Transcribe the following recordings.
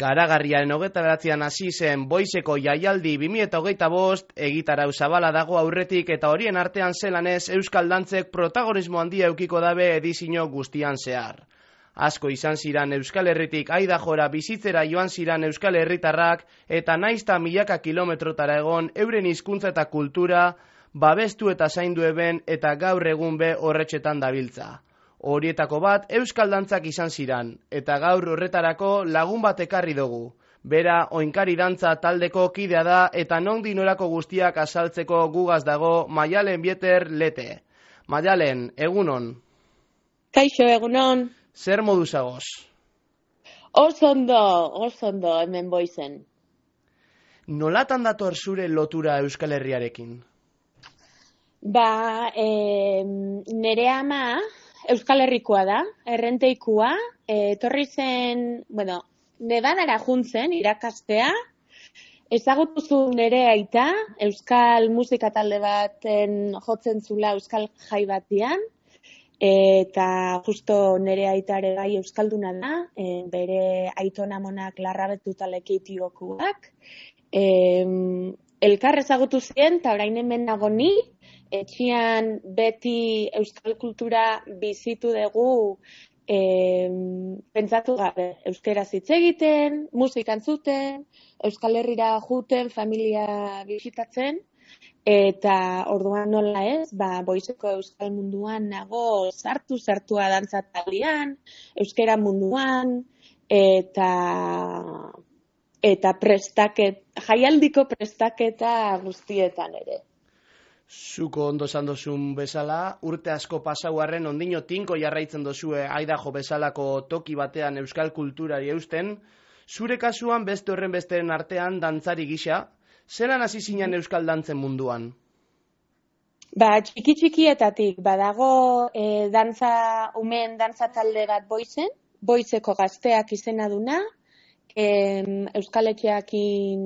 Garagarriaren 29an hasi zen Boizeko jaialdi 2025 egitarau zabala dago aurretik eta horien artean zelanez euskal dantzek protagonismo handia eukiko dabe edizio guztian zehar. Asko izan ziran Euskal Herritik Aidajora bizitzera joan ziran Euskal Herritarrak eta naizta milaka kilometrotara egon euren hizkuntza eta kultura babestu eta zaindu eben eta gaur egun be horretxetan dabiltza. Horietako bat euskal dantzak izan ziran, eta gaur horretarako lagun bat ekarri dugu. Bera, oinkari dantza taldeko kidea da eta nondik norako guztiak azaltzeko gugaz dago Maialen Bieter Lete. Maialen, egunon. Kaixo, egunon. Zer modu zagoz? Oso ondo, hemen Boizen. Nolatan dator zure lotura Euskal Herriarekin? Nere ama Euskal Herrikoa da, errenteikua, etorri zen, Nevadara juntzen irakastea, ezagutu zu nere aita, euskal musika talde baten jotzen zula euskal jai batian, eta justo nere aitare bai euskalduna da, bere aitonamonak larrabetu talekitiokuak, elkar ezagutu ziren, eta orain hemen nago ni, etxian beti euskal kultura bizitu dugu pentsatu gabe. Euskeraz hitz egiten, musika entzuten, Euskal Herrira juten, familia bisitatzen, eta orduan nola ez, Boizeko euskal munduan nago sartua dantza taldean, euskera munduan, eta jaialdiko prestaketa guztietan ere. Zuko ondo esan dozun bezala, urte asko pasauarren ondino tinko jarraitzen dozue Aidajo bezalako toki batean euskal kulturari eusten, zure kasuan beste horren besteren artean dantzari gisa, zelan hasi zinen euskal dantzen munduan? Txiki-txikietatik, badago umeen dantza talde bat Boizen, Boizeko gazteak izena duna, euskaletxeakin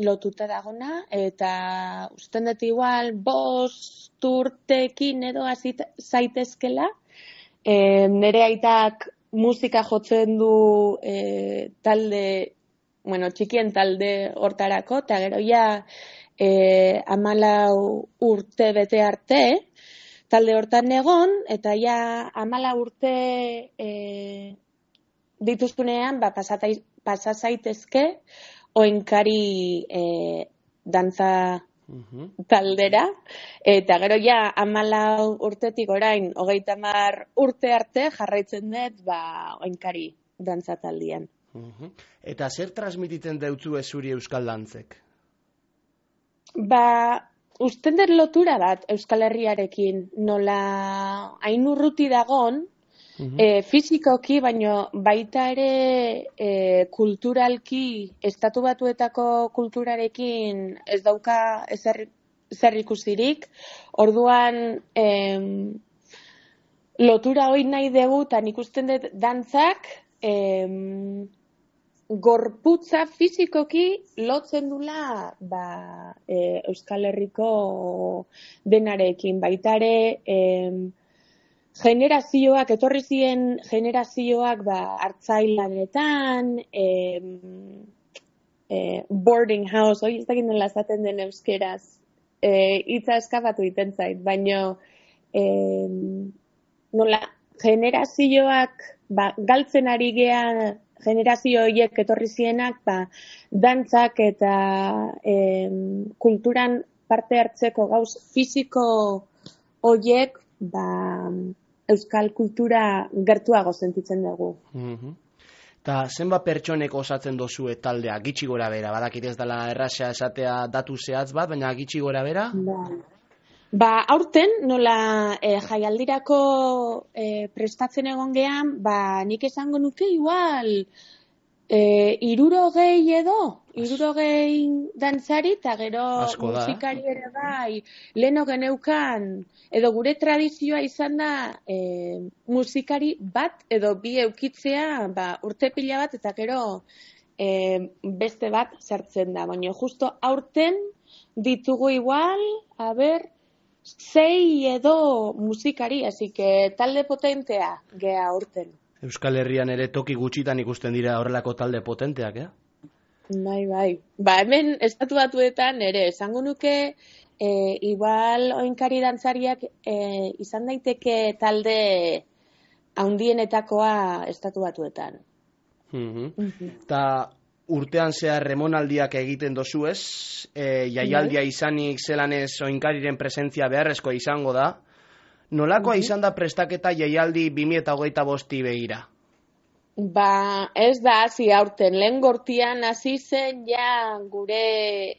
lotuta dagona, eta usten dut igual 5 urtekin edo zaitezkela. Nere aitak musika jotzen du txikien talde hortarako, eta gero ja 14 urte bete arte, talde hortan egon, eta ja 14 urte dituztunean, pasa zaitezke oinkari dantza taldera, eta gero ja 14 urtetik orain 30 urte arte jarraitzen dut oinkari dantza taldean. Eta zer transmititzen deutzu zuri euskal dantzek? Usten dut lotura bat Euskal Herriarekin, nola hain urruti dagon, fizikoki, baino baita ere kulturalki, estatu batuetako kulturarekin ez dauka zer ikusirik. Orduan lotura hori nahi dugu, eta nik usten dut dantzak gorputza fizikoki lotzen dula Euskal Herriko denarekin. Baita ere generazioak, etorri ziren generazioak hartzailanetan, boarding house, hori ez dakit nola esaten den euskeraz, hitza eskapatu egiten zait, baina nola generazioak galtzen ari gean generazio horiek etorri zienak, dantzak eta kulturan parte hartzeko gauz fiziko horiek euskal kultura gertuago sentitzen dugu. Eta zenbat pertsonek osatzen dozue taldea, gitxi gora bera? Badakit ez dela erraza esatea datu zehatz bat, baina gitxi gora bera? Aurten, nola jaialdirako prestatzen egon gean, nik esango nuke igual 60 edo, 60 dantzari, eta gero musikari ere bai, leheno geneukan, edo gure tradizioa izan da musikari bat edo bi eukitzea urte pila bat, eta gero beste bat sartzen da. Baina justo aurten ditugu igual, sei edo musikari, así que talde potentea gea urten. Euskal Herrian ere toki gutxitan ikusten dira horrelako talde potenteak, Bai. Ba, hemen estatu batuetan ere, esango nuke, igual oinkari dantzariak izan daiteke talde handienetakoa estatu batuetan. Eta urtean zehar remonaldiak egiten dozu ez, jaialdia izanik zelanez oinkariren presentzia beharrezkoa izango da. Nolakoa izan da prestaketa jaialdi 2025 begira? Ba, ez da hasi aurten, lehen gortian hasi zen ja gure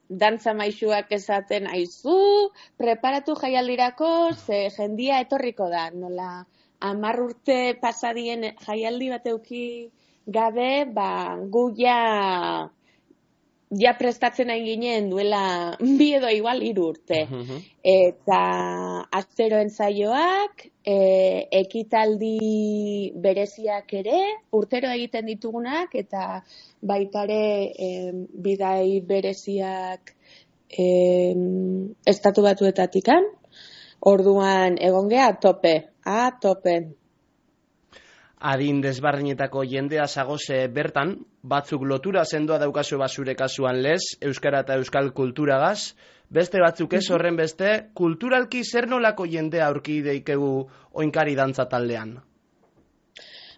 dantza maisuak esaten aizu, preparatu jaialdirako, ze jendia etorriko da, nola 10 urte pasadien jaialdi bat euki gabe, ba, gu ja prestatzen hain ginen duela 2 edo igual 3 urte. Eta astero entzaioak, ekitaldi bereziak ere, urtero egiten ditugunak, eta baitare bidai bereziak estatu batuetatikan. Orduan egon gea tope. Adin desbardinetako jendea zagoze bertan, batzuk lotura sendoa daukazu basure kasuan lez, euskara eta euskal kulturagaz, beste batzuk ez horren beste, kulturalki zer nolako jendea aurki deikegu oinkari dantza taldean?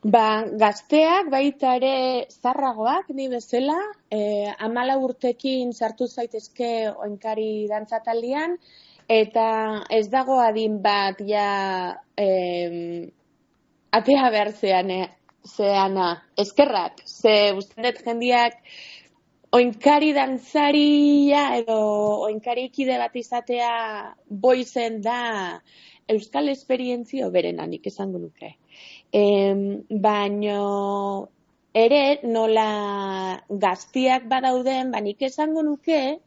Ba, gazteak baita ere zarragoak, ni bezala, 14 urtekin sartu zaitezke oinkari dantza taldean, eta ez dago adin bat ja atea behar zeana, eskerrak, ze usten dut jendiak oinkari dantzaria edo oinkari ikide bat izatea boizen da euskal esperientzio berenanik esango nuke. Baino ere nola gaztiak badauden, nik esango nuke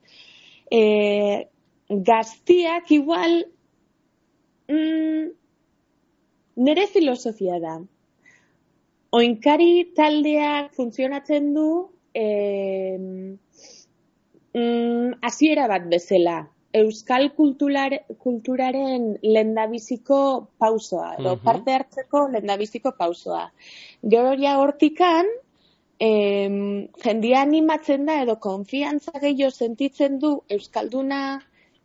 gaztiak igual nire filosofia da. Oinkari taldeak funtzionatzen du hasiera bat bezala. Euskal kulturaren lehendabiziko pausoa, edo parte hartzeko lehendabiziko pausoa. Gero ja hortikan, jendia animatzen da edo konfiantza gehiago sentitzen du euskalduna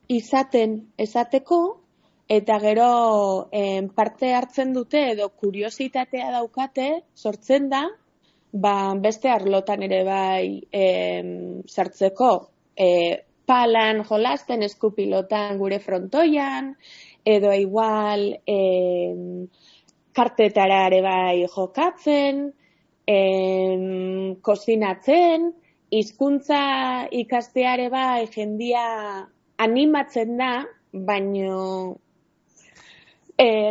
esateko, eta gero parte hartzen dute edo kuriositatea daukate, sortzen da, beste arlotan ere bai sartzeko, palan jolasten, eskupilotan gure frontoian, edo igual kartetara ere bai jokatzen, kozinatzen, hizkuntza ikasteare bai jendia animatzen da, baino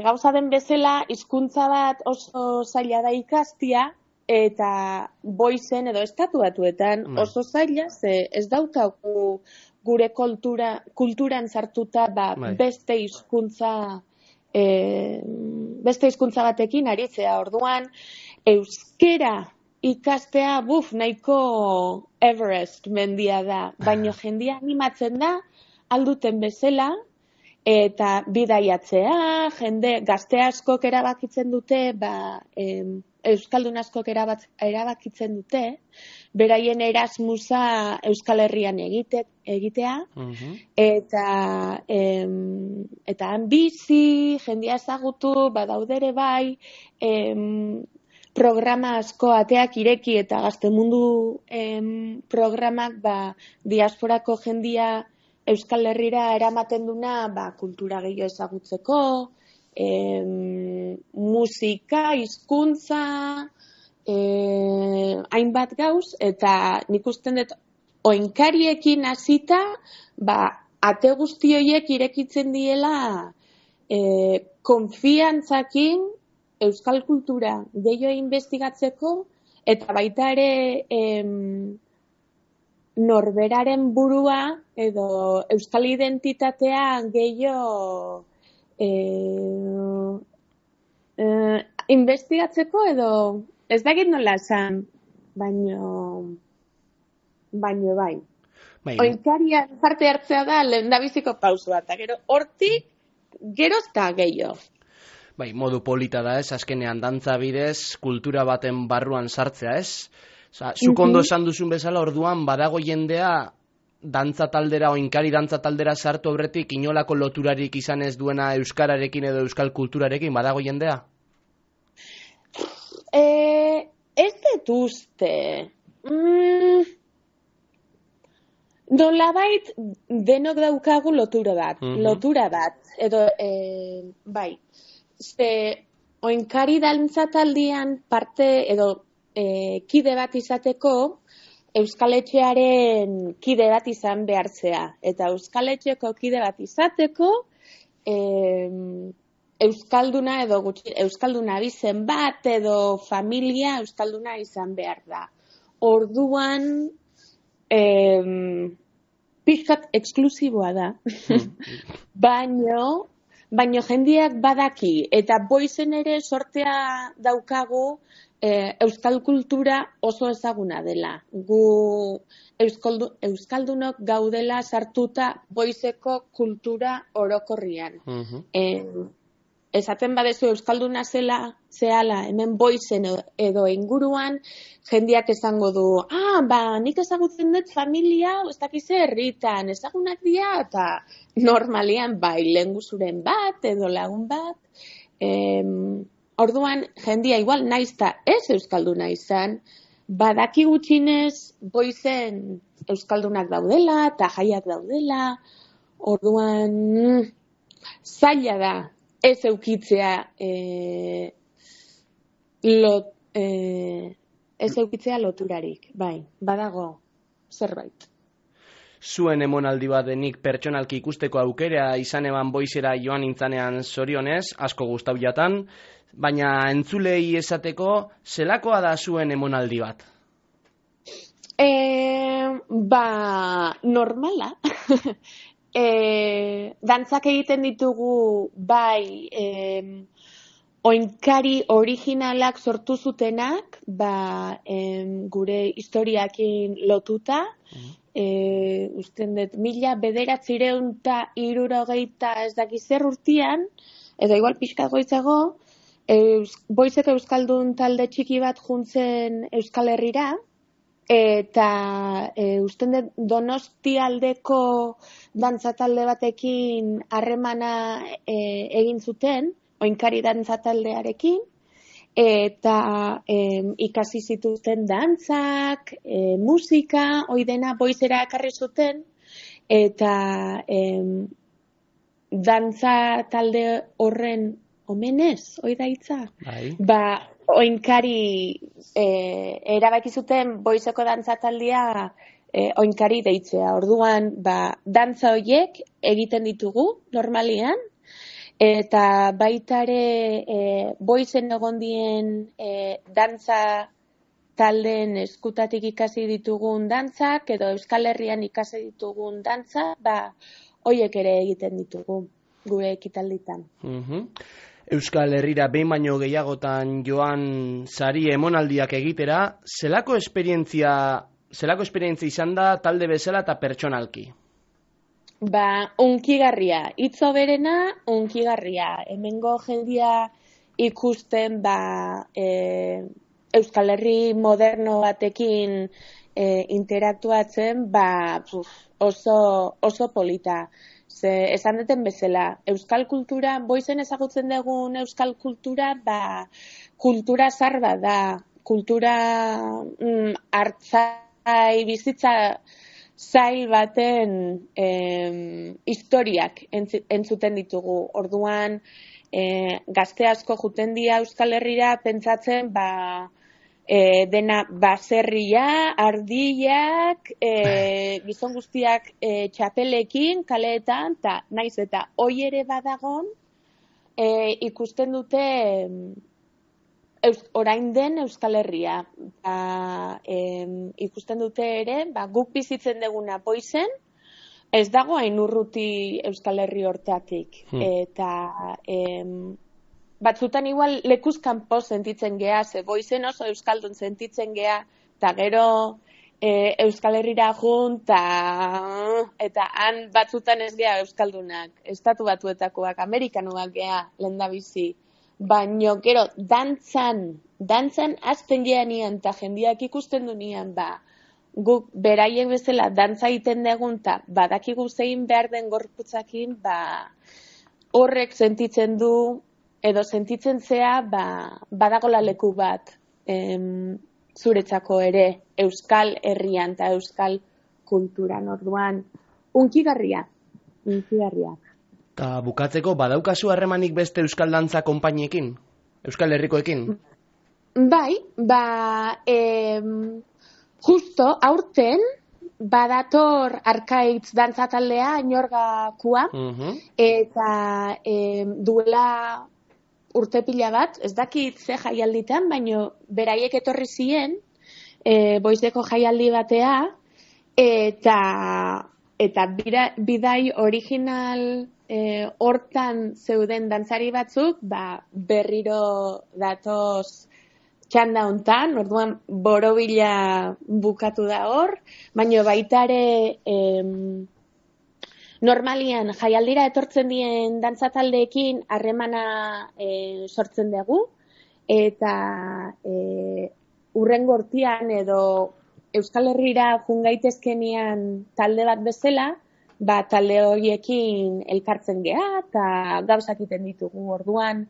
gauza den bezala hizkuntza bat oso zaila da ikastia, eta boizen edo estatu batuetan oso zaila, ze ez daukagu gure kulturan sartuta beste hizkuntza batekin aritzea. Orduan, euskera ikastea, nahiko Everest mendia da, baino jendia animatzen da, alduten bezala, eta bidaiatzea, gazte askok erabakitzen dute, euskaldun askok erabakitzen dute, beraien Erasmusa Euskal Herrian egitea, eta han bizi, jendia ezagutu, badaudere bai, programa asko ateak ireki eta Gaztemundu programak diasporako jendia Euskal Herrira eramaten duna kultura gehiago ezagutzeko, musika, hizkuntza, hainbat gauz, eta nik usten dut oinkariekin hasita, ate guzti horiek irekitzen diela konfiantzakin euskal kultura gehiago investigatzeko, eta baita ere norberaren burua edo euskal identitatea gehiago investigatzeko edo ez dakit nola esan, baino bai. Oinkarian parte hartzea da lehendabiziko pausua, eta gero hortik gerozta gehiago. Bai, modu polita da ez, azkenean dantza bidez, kultura baten barruan sartzea ez. Zuk ondo esan duzun bezala, orduan badago jendea dantza taldera, oinkari dantza taldera sartu aurretik inolako loturarik izan ez duena euskararekin edo euskal kulturarekin, badago jendea? Ez dut uste. Nolabait denok daukagu lotura bat, edo, bai, oinkari dantza taldean parte, edo kide bat izateko, Euskal Etxearen kide bat izan behartzea. Eta Euskal Etxeko kide bat izateko, Euskalduna edo Euskalduna bizen bat edo familia Euskalduna izan behar da. Orduan, pixkat eksklusiboa da. Baino jendeak badaki, eta boizen ere sortea daukagu euskal kultura oso ezaguna dela. Gu euskaldunok gaudela sartuta boizeko kultura orokorrian. Esaten badezu euskalduna zehala hemen boizen edo inguruan, jendeak esango du, nik ezagutzen dut familia, ez dakize herritan, ezagunak dira, eta normalian bai, lehenguzuren bat edo lagun bat. Orduan, jendia igual naizta ez euskalduna izan, badaki gutxinez boizen euskaldunak daudela eta jaiak daudela, orduan zaila da ez eukitzea loturarik, bai, badago zerbait. Zuen emonaldi bat denik pertsonalki ikusteko aukera izan eban boizera joan nintzanean zorionez, asko gustau jatan, baina entzulei esateko, zelakoa da zuen emonaldi bat? Normala. Dantzak egiten ditugu bai oinkari originalak sortu zutenak, gure historiakin lotuta, usten dut 1960 ez dakiz zer urtean, edo igual pixkat goitzago, boizeko euskaldun talde txiki bat juntzen Euskal Herrira, eta usten dut Donostialdeko dantza talde batekin harremana egin zuten, oinkari dantza taldearekin, eta ikasi zituzten dantzak, musika, oidena boizera ekarri zuten, eta dantza talde horren omenez, oida hitza? Oinkari erabaki zuten boizeko dantza taldea oinkari deitzea. Orduan, dantza horiek egiten ditugu normalian, eta baitare boizen egondien dantza taldeen eskutatik ikasi ditugun dantzak, edo Euskal Herrian ikasi ditugun dantza, horiek ere egiten ditugu gure ekitalditan. Euskal Herrira behin baino gehiagotan joan sari emonaldiak egitera, zelako esperientzia izan da talde bezala eta pertsonalki? Unkigarria, hitzo berena, unkigarria. Hemengo jendia ikusten Euskal Herri moderno batekin interaktuatzen, oso polita. Esan duten bezala, euskal kultura, boizen ezagutzen dugun euskal kultura, kultura zarba da, kultura hartzai, bizitza zail baten historiak entzuten ditugu. Orduan, gazte asko juten dira Euskal Herrira pentsatzen, dena baserria, ardiak, gizon guztiak txapelekin, kaleetan, eta naiz eta hoi ere badagon, ikusten dute orain den Euskal Herria. Ikusten dute ere, guk bizitzen duguna boizen, ez dago hain urruti Euskal Herri hortatik. Eta batzutan igual lekuz kanpo sentitzen gea, ze boizen oso euskaldun sentitzen gea, eta gero Euskal Herrira jun, eta han batzutan ez gea Euskaldunak, estatu batuetakoak, amerikanoak gea lehendabizi. Baina, gero, dantzan azten geanian, eta jendiak ikusten du nian, guk beraiek bezala dantza egiten dugun, eta badakigu zein behar den gorputzakin, horrek sentitzen du, edo sentitzen zea, badagola leku bat, zuretzako ere, Euskal Herrian eta Euskal kulturan, orduan, unkigarria. Eta bukatzeko, badaukazu harremanik beste Euskal Dantza konpainiekin? Euskal Herrikoekin? Bai, justo, aurten, badator Arkaitz dantza taldea, Inorgakua, eta duela urte pila bat, ez dakit ze jaialditan, baino beraiek etorri ziren, Boizeko jaialdi batea, eta bidai original hortan zeuden dantzari batzuk, berriro datoz txanda hontan, orduan borobila bukatu da hor, baina baita ere normalian jaialdira etortzen dien dantzataldeekin harremana sortzen dugu, eta urrengo urtean edo Euskal Herrira jungaitezkenean talde bat bezala, talde horiekin elkartzen geha, eta gauzak egiten ditugu orduan,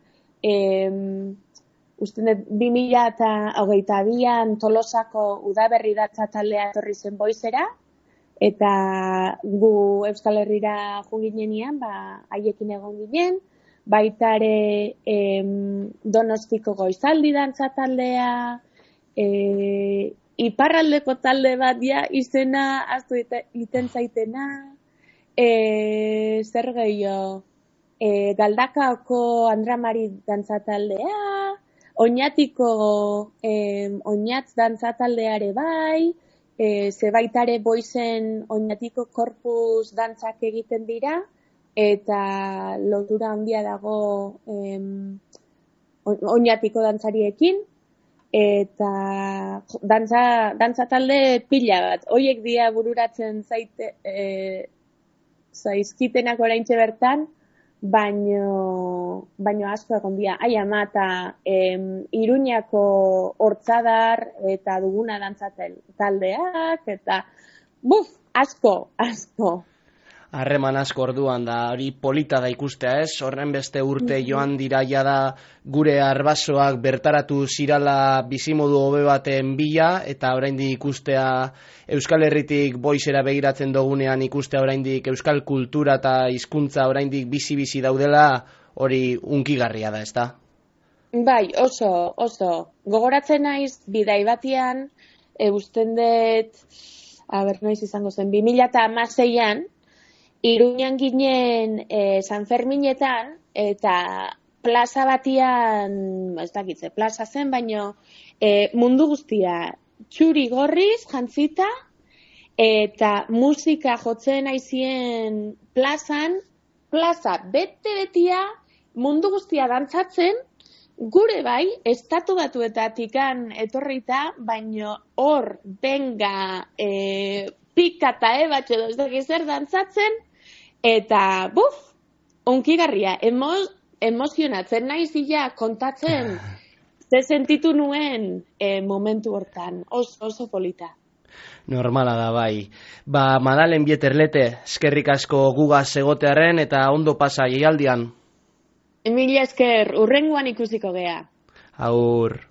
uste dut 2022an Tolosako udaberri datza taldea etorri zen Boizera, eta gu Euskal Herrira junginean, haiekin egon ginen, baita ere Donostiko Goizaldi dantza taldea, iparraldeko talde bat izena aztu iten zaitena, zer gehiago, Galdakaoko Andramari dantza taldea, Oñatiko Oñatz dantza taldeare bai, zebaitare Boizen Oñatiko korpus dantzak egiten dira, eta lotura handia dago Oñatiko dantzariekin, eta dantza talde pila bat. Hoiek dia bururatzen zaizkitenak oraintxe bertan, baino asko egon dira. Ama eta Iruñako Hortzadar eta Duguna dantza taldeak, eta asko. Harreman asko orduan da, hori polita da ikustea ez, horren beste urte joan dira da gure arbasoak bertaratu zirala bizimodu hobe baten bila, eta oraindik ikustea Euskal Herritik Boizera begiratzen dugunean ikustea oraindik Euskal kultura eta hizkuntza oraindik bizi daudela, hori unkigarria da, ezta? Bai, oso. Gogoratzen naiz bidai batean, usten dut, noiz izango zen, 2016an, Iruñan ginen San Ferminetan, eta plaza batian, ez dakitze, plaza zen, baino mundu guztia txuri gorriz jantzita, eta musika jotzen aizien plaza bete-betia mundu guztia dantzatzen, gure bai, estatu batuetatikan etorrita, baino hor benga pika eta ebatxe edo ez dakiz zer dantzatzen, eta unkigarria, emozionatzen naizia kontatzen ze sentitu nuen momentu hortan, oso polita. Normala da bai. Madalen Bieterlete, eskerrik asko gugaz egotearen eta ondo pasa jaialdian. Mila esker, urrengoan ikusiko gea. Agur.